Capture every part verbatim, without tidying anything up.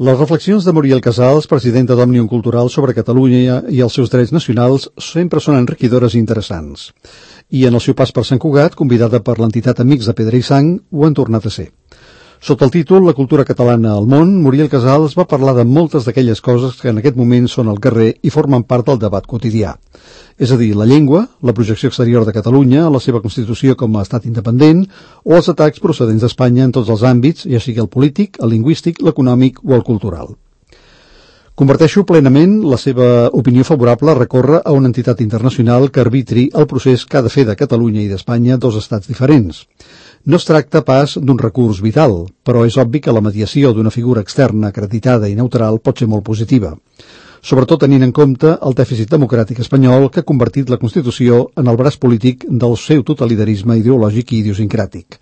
Les reflexions de Muriel Casals, presidenta d'Òmnium Cultural, sobre Catalunya i els seus drets nacionals sempre són enriquidores i interessants. I en el seu pas per Sant Cugat, convidada per l'entitat Amics de Pedra i Sang, ho han tornat a ser. Sota el títol La cultura catalana al món, Muriel Casals va parlar de moltes d'aquelles coses que en aquest moment són al carrer i formen part del debat quotidià. És a dir, la llengua, la projecció exterior de Catalunya, la seva constitució com a estat independent o els atacs procedents d'Espanya en tots els àmbits, ja sigui el polític, el lingüístic, l'econòmic o el cultural. Converteixo plenament la seva opinió favorable a recórrer a una entitat internacional que arbitri el procés que ha de fer de Catalunya i d'Espanya dos estats diferents. No es tracta pas d'un recurs vital, però és obvi que la mediació d'una figura externa acreditada i neutral pot ser molt positiva, sobretot tenint en compte el dèficit democràtic espanyol que ha convertit la Constitució en el braç polític del seu totalitarisme ideològic i idiosincràtic.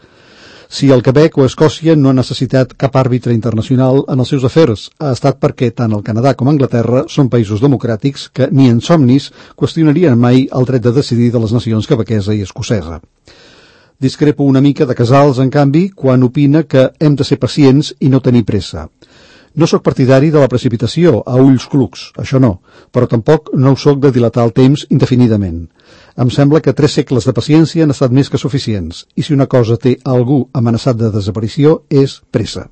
Si el Quebec o Escòcia no han necessitat cap àrbitre internacional en els seus afers, ha estat perquè tant el Canadà com Anglaterra són països democràtics que ni en somnis qüestionarien mai el dret de decidir de les nacions quebequesa i escocesa. Discrepo una mica de Casals, en canvi, quan opina que hem de ser pacients i no tenir pressa. No sóc partidari de la precipitació a ulls clucs, això no, però tampoc no ho sóc de dilatar el temps indefinidament. Em sembla que tres segles de paciència han estat més que suficients, i si una cosa té algú amenaçat de desaparició és pressa.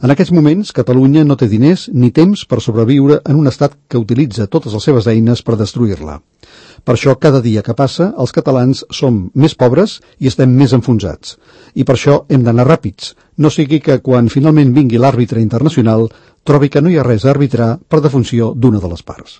En aquests moments, Catalunya no té diners ni temps per sobreviure en un estat que utilitza totes les seves eines per destruir-la. Per això, cada dia que passa, els catalans som més pobres i estem més enfonsats. I per això hem d'anar ràpids. No sigui que, quan finalment vingui l'àrbitre internacional, trobi que no hi ha res a arbitrar per defunció d'una de les parts.